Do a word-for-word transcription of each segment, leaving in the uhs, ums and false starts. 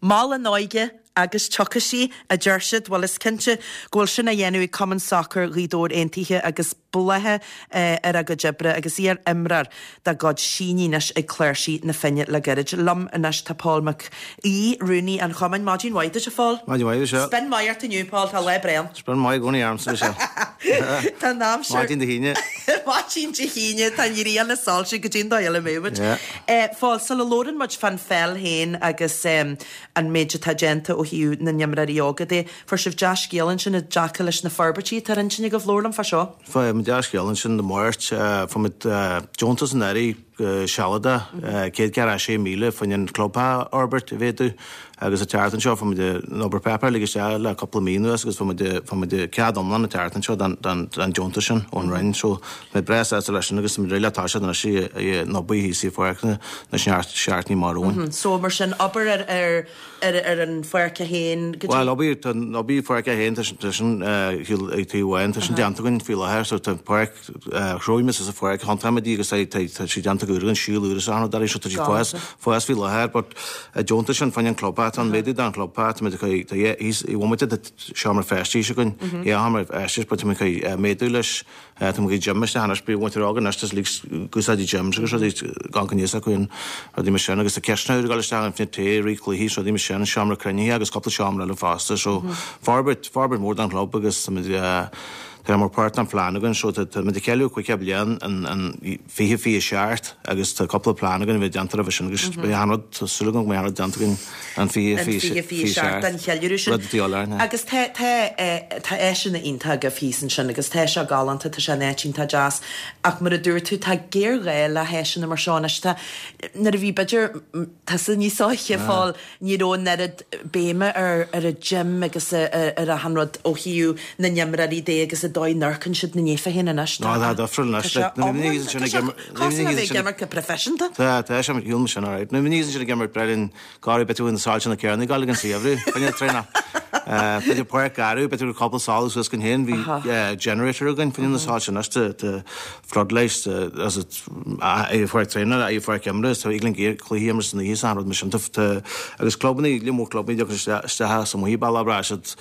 Mol an óige agus tiocfaidh sí a deir siad bhuel is cinnte go bhfuil sin á dhéanamh ag Cumann Sacair Ghaoth Dobhair Aontaithe agus bláthaithe eh, ar a gcuid oibre agus iar-imreoir dá gcuid sínithe anois ag Cláirsigh na Finne le gairid. Liom anois tá Paul Mac Aoidh, rúnaí an chumainn Maidin mhaith duit a Phóil. Maidin mhaith seo. Spin maith ort inniu Paul tá lá breá. Spin maith i gcónaí ormsa seo. Tá aimsir Maidin Dé hAoine. Maidin Dé hAoine tá an ghrian ag soilsiú go dtí dóigh eile muid. Phóil sula labhrann muid fán pheil féin agus um, an méid atá déanta ó thaobh na n-imreoirí óga de. Fuair sibh dea-scéal ansin i dtaca leis na forbairtí atá ar intinn agaibh labhair liom fá seo. Fuair muid dea-scéal ansin Dé Máirt fuair muid deontas an Aire sealadach céad ceathracha sé míle fá choinne an club a fhorbairt a mhéadú agus an tseachtain seo fuair muid an obair páipéir ligthe isteach le cúpla mí anuas agus fuair muid fuair muid cead iomlán an tseachtain seo den den den deontas sin ón Roinn so mé breá sásta leis sin agus muid réidh le toiseacht anois i an obair thíos i pháirc na na seachtainí amach romhainn. So mar sin obair ar ar ar ar an pháirc féin go dtí Well obair tá obair pháirc féin tá sin tá sin ag taobh amháin tá sin déanta againn faoi láthair so tá páirc chróigh sa pháirc thiontáimid agus tá tá sí déanta go an síol úr is ann dar so tá sí fás fás faoi láthair but deontas sin fá choinne an club tá an méadú don club tá muid tá i bhmuid seomra feistis againn é seomra feistis but tá muid méadú leis tá muid gym isteach anois bí bhaint rá anois tá úsáidí gyms agus rudaí gan níos acu an rudaí mar sin agus tá ceisteanna úr ag dul isteach an fine tae rí cluichí rudaí mar sin seomra cruinnithe agus cúpla seomra eile fosta so forbairt forbairt mór don chlub agus tá muid Tá mar páirt an phlean againn so tá muid ag ceiliúradh caoga bliain an an fiche fiche seacht agus tá cúpla plean againn a bheith déanta roimhe sin agus beidh an rud tá súil agam go mbeidh an rud déanta againn an fiche an fiche fiche fiche seacht an cheiliúradh sin. Rud atá learn. Agus tá tá tá áiseanna iontach agaibh thíos ansin agus tá sé galánta tá sé in áit iontach deas ach mar a dúirt tú tá géarghá le háiseanna mar seo anois tá nuair a bhí b'fhéidir tusa níos óige Phóil ní raibh an oiread béime ar ar an gym agus ar ar achan rud ó thaobh na n-imreoirí de agus a dóigh n-amharcann siad na néfa féin anois. Ná tá difriúil anois Cosúil le bheith ag imirt go proifisiúnta. Tá tá sé hiúil sin alright. Nuair a bhí sin ag imirt Brendan Gary b'fhéidir na soilse na céarna gáil an saothú Fanne tréna. B'fhéidir páirc garbh b'fhéidir cúpla solas suas go héin bhí generator againn fanne na soilse anois tá floodlights as é pháirc traenála é pháirc imeartha tá Eagling cluichí imeartha san oíche san rud mar sin agus clubanna le mór clubanna isteach sa muí baile bra siad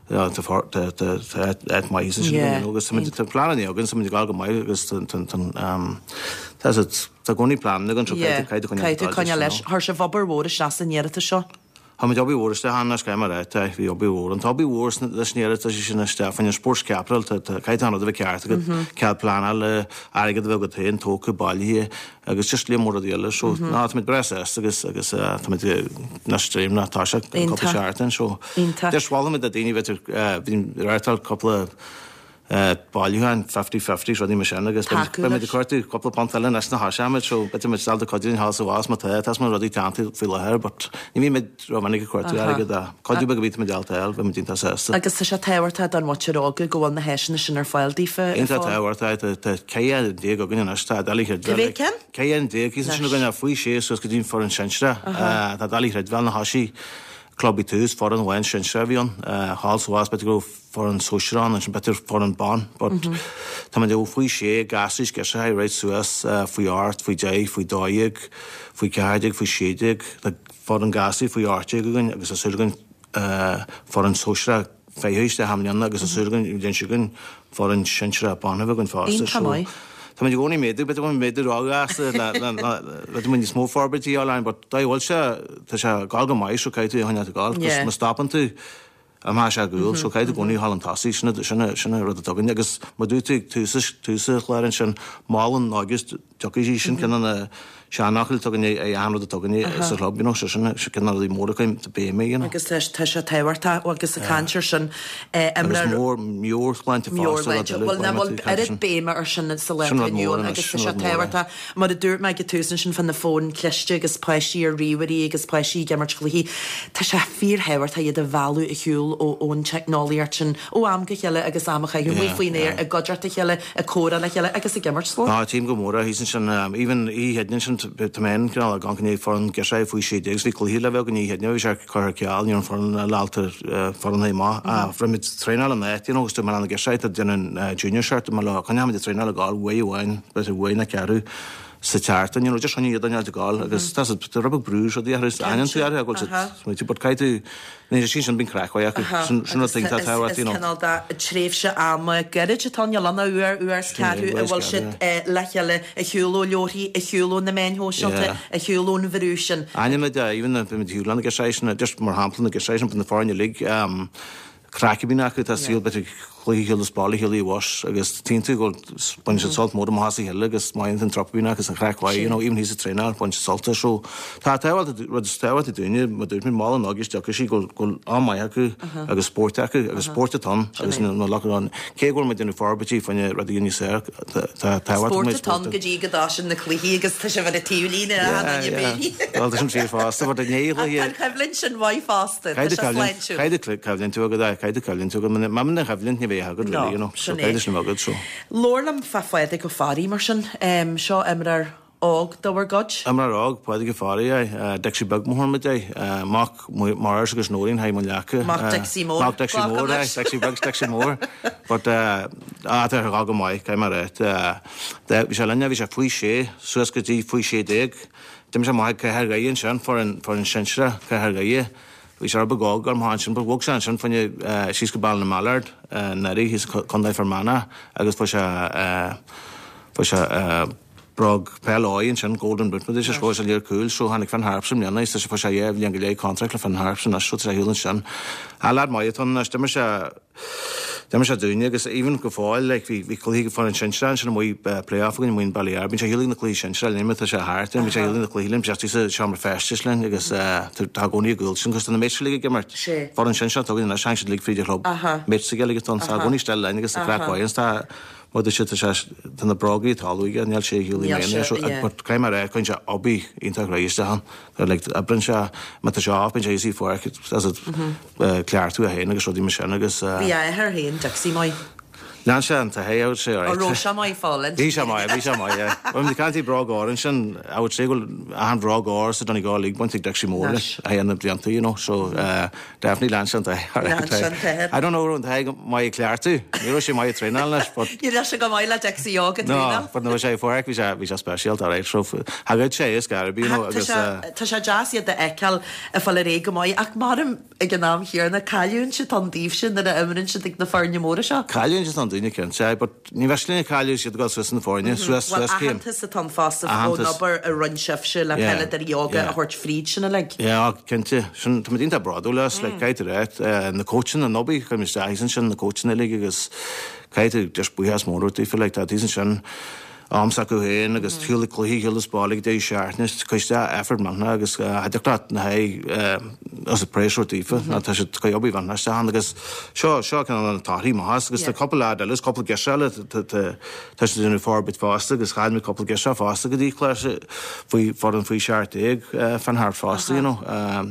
tá maith sin agus tá plean againn sa gáil go maith agus tá tá gcónaí plean againn so Caithfidh tú coinneáil leis. Chuir sibh obair mhór isteach san iarratas seo. Tá muid obair mhór isteach ann scéim ar tá bhí obair mhór an tá obair mhór leis an iarratas sin isteach fá choinne sports capital caithfidh an rud a bheith ceart agat cead pleanála airgead a bheith agat féin tógtha bailithe agus just le mór rudaí eile so ná tá muid breá sásta agus agus tá muid anois dréim ná tá sé cúpla seachtain so Deis mholfainn do daoine b'fhéidir bhí reáchtáil cúpla bailiúchán fifty fifty rudaí mar sin agus beidh muid ag cuartú cúpla punt eile anois na thoiseoidh so b'fhéidir muid ábalta cuidiú thall sa bhás má tá tá mar rudaí teannta faoi láthair but ní bhí muid rómhinic ag cuartú airgead a cuidiú beag a bhí muid ábalta a fháil bhí muid iontach sásta. Agus tá sé tábhachtach don mhuintir óga go bhfuil na háiseanna sin ar fáil daofa. Iontach tábhachtach tá ceithre déag againn anois tá Doiligh Cá mhéad ceann? Ceithre déag thíos ansin againn faoi sé suas go dtí an foireann sinsearach tá Doiligh Chreidbheáil na thoisigh club i tús foireann amháin sinsearach a bhí ann thall sa bhás b'fhéidir go raibh foireann sóisearach ann ansin b'fhéidir foireann ban but tá muid ó faoi sé gasúir girseachaí right suas faoi ocht faoi deich faoi dó dhéag faoi ceathair déag faoi sé déag tá foireann gasúir faoi ocht déag againn agus tá súil againn foireann sóisearach fiche isteach i mbliana agus tá súil againn bhliain seo chugainn foireann sinsearach ban a bheith againn fosta Iontach so maith. Tá muid i gcónaí ag méadú, b'fhéidir go bhfuil méadú róghasta le b'fhéidir muid níos mó forbairtí a fháil ann, but dá bhfuil sé, tá sé ag gabháil go maith so caithfidh tú a choinneáil ag gabháil, Yeah. 'cause má stopann tú, imeoidh sé ar gcúl, so caithfidh tú i gcónaí a ghabháil chun tosaigh, sin sin sin an rud atá againn agus mar dúirt tú ag tús tús an chláir ansin, mol an óige is tiocfaidh sí, sin ceann de na seanfhocail atá againn ag achan rud atá againn sa chlub, you know, so sin ceann de na rudaí móra acu béim air, you know. Agus tá tá sé tábhachtach agus ag caint ar sin Agus mór meabhairshláinte fosta, rud eile, Bhuel, nach bhfuil caithfidh tú caint oiread sin. béime ar sin sa lá Sin atá rud inniu mór ann anois, agus tá sin sé rud mór é. tábhachtach mar a dúirt mé ag an tús ansin fá na fóin cliste agus páistí ar ríomhairí agus páistí ag imirt cluichí, tá sé fíorthábhachtach iad a mhealladh ar shiúl ó ón teicneolaíocht sin ó am go chéile agus am a chaitheamh amuigh Yeah, faoin aer yeah. i gcuideachta a chéile, ag comhrá le chéile agus ag imirt spóirt. Ná, tím go mór é, thíos ansin, even oíche Chéadaoin ansin, tá mé féin cineál ag amharc i ndiaidh foireann girseachaí faoi sé déag, 's bhí cluiche le bheith againn oíche Chéadaoin, bhí sé curtha ar ceal, ní raibh an foireann ábalta foireann a thabhairt amach, ach rinne muid traenáil an áit, you know, agus dúirt mé le na girseachaí, tá déanamh an junior shirt, mé leo, coinneoidh muid ag traenáil ag gabháil uair amháin, b'fhéidir uair nó ceathrú, sa tseachtain, you know, just chun iad a fháil agus tá tá rud beag brú seo ar is aithneann tú air go bhfuil siad but caithfidh tú ní sin sin bíonn craic mhaith acu sin sin rud iontach tábhachtach, you know. Is cineál de tréimhse ama gairid atá ann, níl ann ach uair, uair is ceathrú a bhfuil siad le chéile ar shiúl ó leabharthaí, ar shiúl ó na meáin shóisialta, ar shiúl ón bhrú sin. Aithnímid even na bímid ar shiúl na girseachaí sin, just mar shampla na girseachaí sin, na foirne uilig, craic a bhíonn acu, tá saol b'fhéidir cluiche ar shiúl as baile, ar shiúl i bhfos agus tchíonn tú go baineann siad sult mór amach as a chéile agus maíonn an trup a bhíonn acu agus an chraic mhaith, you know, even thíos ag traenáil, baineann siad sult as. So tá tábhacht, rud is tábhachtaí dúinne, mar dúirt mé, molann agus tiocfaidh sí go bhfuil am maith acu agus spórt acu agus spórt atá ann agus na lucht ann. Cé go bhfuil muid ag déanamh forbairtí fá choinne rudaí níos fearr, tá tábhacht Spórt atá ann go dtí go dtosaíonn na cluichí agus tá sibh ar an taobhlíne a Hannah Biddy. Bhuel, tá sin fíor fosta, but i ndiaidh Ach tá an choimhlint sin maith fosta, tá sé sláintiúil. Caithfidh tú coimhlint agat, aye, caithfidh tú coimhlint agat. Má bhíonn an choimhlint ní bheidh agat, really, you know. No, So sin é. caithfidh sin a bheith agat, so. Labhair liom fá Phádraig Ó Fearraigh mar sin. Seo imreoir óg de bhur gcuid. Imreoir óg, Pádraig Ó Fearraigh, aye. Dixie Beag mar a thugann muid é. Mac Maurice agus Nóirín, High Mun Leaca. Mac Dixie Mór. Mac Dixie Mór, aye. Dixie Beag, Dixie Mór. But, ah, tá sé ag dul go maith, caithfidh mé a rá. Bhí sé linne, bhí sé faoi sé, suas go dtí faoi sé déag. D'imir sé amach ag Cathair Dhoire ansin, foireann, foireann sinsearach Cathair Dhoire. Bhí sé rud beag óg orm ansin, but bhog sé ansin fá choinne síos go Ballinamallard anuraidh thíos i Contae Fear Manach agus fuair sé fuair sé bróg peil óir ansin, Golden Boot mar a scóráil sé lear cúil so tháinig Finn Harps i mbliana agus fuair sé dhá bhliain go leith contract le Finn Harps anois so tá sé ar shiúl ansin. Ah lad maith atá ann anois, d'imir sé D'imir sé dúinne agus even go fóill like bhí bhí cluichí foireann sinsearach ansin amuigh play-off againn amuigh in Ballyar. Bíonn sé ar shiúl ag na cluichí sinsearach linn má tá sé thart bíonn sé ar shiúl ag na cluichí linn, bíonn sé istigh sa seomra feistis linn agus tá i gcónaí ag gabháil sin cos tá na mates uilig ag imirt. Foireann sinsearach atá againn anois tháinig siad uilig fríd an chlub. Mates aige uilig atá ann so tá i gcónaí istigh linn agus tá craic mhaith ann tá mar a dúirt sé tá sé tá na brógaí atá aige níl sé ar shiúl i mbliana so but caithfidh mé a rá cuireann sé obair iontach réidh isteach ann. Like oibríonn sé má tá sé off bíonn sé thíos i pháirc as it cleachtadh é féin agus rudaí mar sin agus. Bhí a athair féin Dixie maith. Lean sé an t-athair, I would say, alright. An raibh sé maith fáil? Bhí sé maith, bhí sé maith, yeah. Bhuel, na caintí bróg óir ansin, I would say go bhfuil achan bhróg óir sa Donegal League bainte ag Dixie Mór leis, a haon na blianta, you know, so uh, definitely lean sé an t-athair. Lean sé an t-athair. I don't know raibh an t-athair maith ag cleachtadh, ní raibh sé maith ag traenáil leis, but. Ní raibh sé go maith le Dixie óg ag traenáil. No, but nuair a bhí sé i pháirc bhí sé bhí sé speisialta, alright, so thagadh sé is Garby, you know, agus. Tá sé deas iad a fheiceáil ag fáil ar aghaidh go maith, ach maram ag an am chéanna, cailliúint atá ann daoibhse nuair a imríonn siad ag na foirne móra seo. Cailliúint atá ann dúinne cinnte, but ní bheadh linn cailleadh siad ag dul suas na foirne, suas, Bhuel, suas céim. aitheantas atá ann fosta ón obair a rinne sibhse le peileadóirí óga a thabhairt fríd sin uilig. Yeah, cinnte. Sin, tá muid iontach bródúil as, like, caithfidh tú a rá, na coachanna, an obair, chuir muid isteach ansin, na coachanna uilig agus caithfidh tú just buíochas mór a thabhairt daofa, like, tá thíos ansin, am s'acu féin agus ar shiúl ag cluichí, ar shiúl as baile ag deireadh seachtaine, cuir isteach effort millteanach agus cha dtiocfadh leat na haghaidh as a praise a thabhairt daofa, ná tá siad ag obair mhillteanach isteach ann agus seo seo cineál na torthaí maithe agus tá cúpla lad eile, cúpla girseach eile tá tá siad ag déanamh forbairt fosta agus chaill muid cúpla girseach fosta go dtí clár faoi foireann faoi seacht déag Finn Harps fosta, you know,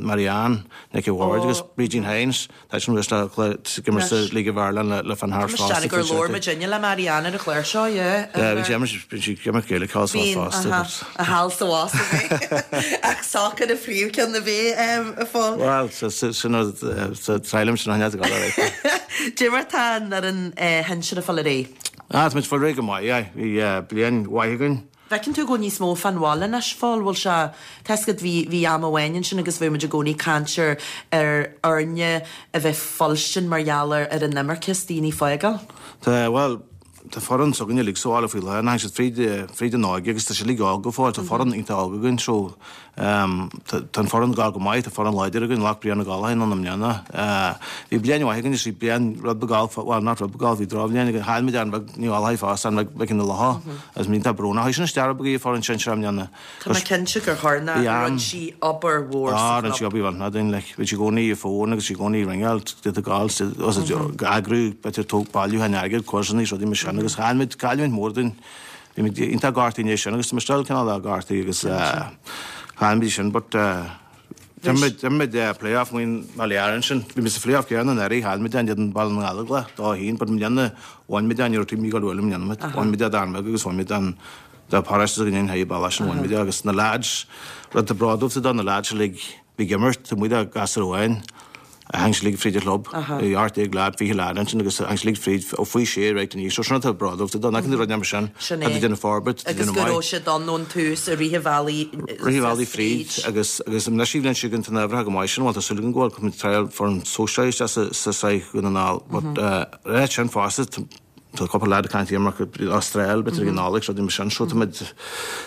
Marianne Nic Ward agus Brídín Hynes. Tá sin anois le ag imirt sa League of Ireland le Finn Harps fosta. Tá gur labhair muid inniu le Marianne ar an chlár seo, yeah. Yeah, bhí sí bhí sí ag imirt Gaelic thall is abhus fosta. Bíonn, aha, thall is abhus a bhí. Ach sacar an phríomhcheann a bhí a Phóil. Bhuel, sin sa triail sin an go leor. Cad é mar tá an fhoireann shinsir ag fáil ar aghaidh? Ah, tá muid ag fáil ar aghaidh go maith, yeah. Bhí bliain mhaith againn. Feiceann tú go bhfuil níos mó fán bhaile anois, a Phóil, bhfuil sé, tá 'fhios agat, bhí, bhí am amháin ansin agus bhí muid i gcónaí ag caint ar, ar fhoirne a bheith fuilstin mar gheall ar, ar an imirce is daoine ag fágáil. Tá, bhuel, tá foireann s'againne uilig sa bhaile faoi láthair, tháinig siad fríd, fríd an óige agus tá siad uilig óg go fóill, tá foireann iontach óg againn so, tá an foireann ag gabháil go maith, tá foireann láidir againn, ghlac Brian Ó Gallchóir ann i mbliana. Bhí bliain mhaith againn, is bhí bliain rud beag gall, bhuel not rud beag gall, bhí drochbhliain againn, chaill muid Aaron Beag Ní Ghallchóir fosta, Aaron Beag Mhic an Locha, agus bhí iontach brónach. Chuaigh sin isteach rud beag í foireann sinsear i mbliana. Tá mé cinnte gur chuir na, rinne sí obair mhór sa Ah, rinne sí obair mhillteanach dúinn, like, bhí sí i gcónaí ar fón agus sí i gcónaí ag ringeáil, did gall, eagrú, b'fhéidir tóg bailiúchán airgid, quizeanna, rudaí mar sin, agus chaill muid, cailliúint mhór dúinn. Bhí muid iontach gortaithe inné sin agus tá muid still cineál gortaithe agus chaill muid sin but d'imir muid play-off amuigh i mBaile Átha ansin. Bhí muid sa phlay-off céanna anuraidh, chaill muid in éadan Baile na nGallóglach, dó a haon, but i mbliana bhain muid é, ní raibh taobh amuigh go bhfuil i mbliana muid. Bhain muid é d'Fhear Beag agus bhain muid an dá paráiste againn in aghaidh bealach sin bhain muid é agus na lads, rud atá bródúil de na lads uilig bhí ag imirt, taobh amuigh de gasúr amháin, Tháinig siad uilig fríd an chlub, bhí ocht déag leaid, fiche leaid ansin agus tháinig siad uilig fríd ó faoi sé right aníos. So sin atá bródúil de, nach rud mar sin. Sin é. Tá déanamh forbairt, Agus go raibh siad ann ón tús i rith an bhealaigh Rith an bhealaigh fríd agus agus anois an bhliain seo chugainn tá na huimhreacha go maith sin, bhuel tá súil againn go bhfuil, cuirfimid triail foireann sóisear isteach sa sa sraith Dhún na nGall but eh sin fosta tá cúpla leaid ag caint imirce Astráil b'fhéidir ag an Nollaig rudaí mar sin so tá muid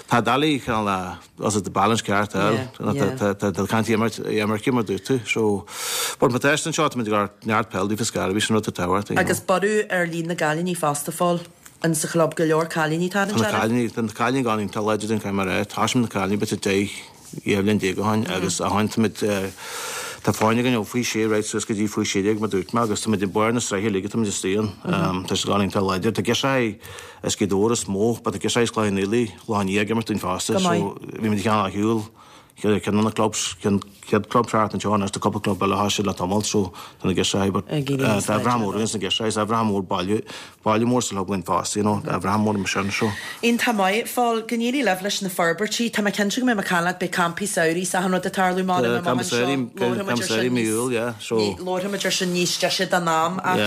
tá doiligh cineál as the balance ceart a fháil tá tá caint imirce mar dúirt tú so but má tá anseo tá muid ag neart peil daofa scairbí sin rud atá tábhachtach. Agus borradh ar líon na gcailíní fosta a Phóil in sa chlub go leor cailíní tá an cailíní tá na cailíní gan tá láidir den caimer é tá na cailíní b'fhéidir deich dhá bhliain déag ó shin agus ó shin tá muid Tá foirne againn ó faoi sé right suas go dtí faoi sé déag mar dúirt mé agus tá muid i mbarr na sraithe uilig tá muid istigh ann. Tá siad ag iontach láidir. Tá girseachaí as Gaoth Dobhair is mó but tá girseachaí as Cloich Cheann Fhaola, Loch an Iá ag imirt dúinn fosta so bhí muid cheann á shiúl ceann de na clubs, chéad club thart anseo anois tá cúpla club eile a thosaigh le tamall so tá na girseachaí but tá rath mór againn sna girseachaí, tá rath mór baile baile mór sa chlub againn fosta you know, tá rath mór mar sin so. Iontach maith, a Phóil, go n-éirí libh leis na forbairtí. Tá mé cinnte go mbeidh mé ag caint leat, beidh campaí samhraidh is achan rud ag tarlú mar Tá campa samhraidh, campa samhraidh mí Iúil, yeah, so. Labharfaimid ar sin níos deise den am ach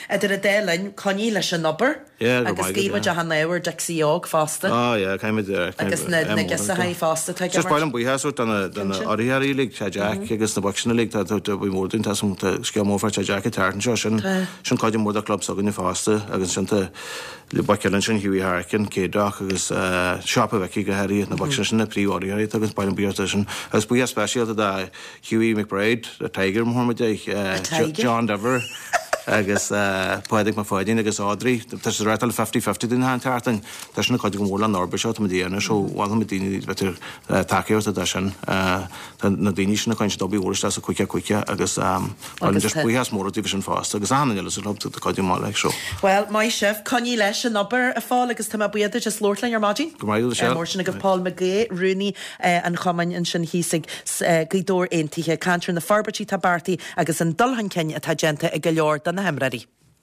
idir an dá linn, coinnigh leis an obair Yeah, go agus maith agat, guímid yeah. achan ádh ar Dixie óg fosta. Ah yeah, caithfimid, yeah, Agus na na girseachaí fosta atá ag Just imirt. ba mhaith liom buíochas a thabhairt do na do na Cinnte. urraithe uilig, Tá Jack agus na boic sin uilig, tá tá tá bhí mór dúinn, tá tá scéal mór fá Tá Jack ag teacht anseo, sin Tá. sin cuid mór de club s'againne fosta agus ansin tá le boic eile ansin, Hughie Harkin, Céadrach agus Siopa Mhicí go háirithe, na boic sin, sin na príomh-urraitheoirí atá agus ba mhaith liom buíochas sin. Agus buíochas speisialta do Hughie McBride, the Tiger mar a thugann muid air, A Tiger? John Diver agus Pádraig Mac Pháidín agus Audrey. Tá siad ag reáchtáil fifty fifty dúinn achan tseachtain. Tá sin ag cuidiú go mór le an obair seo atá muid a dhéanamh so mholfainn daoine b'fhéidir tacaíocht do sin. Tá na daoine sin ag caint obair mhór isteach sa cúige cúige agus Agus just buíochas mór daofa sin fosta agus achan duine eile sa chlub tá cuidiú maith leis so. Well, maith sibh, coinnigh leis an obair a Phóil agus tá mé buíoch duit as labhairt linn ar maidin. Go maith duit, Michelle. Mór sin agaibh Paul McGee, rúnaí an chumainn ansin thíos ag Gaoth Dobhair Aontaithe, caint ar na forbairtí atá beartaithe agus an dul chun cinn atá déanta ag go leor de na himreoirí.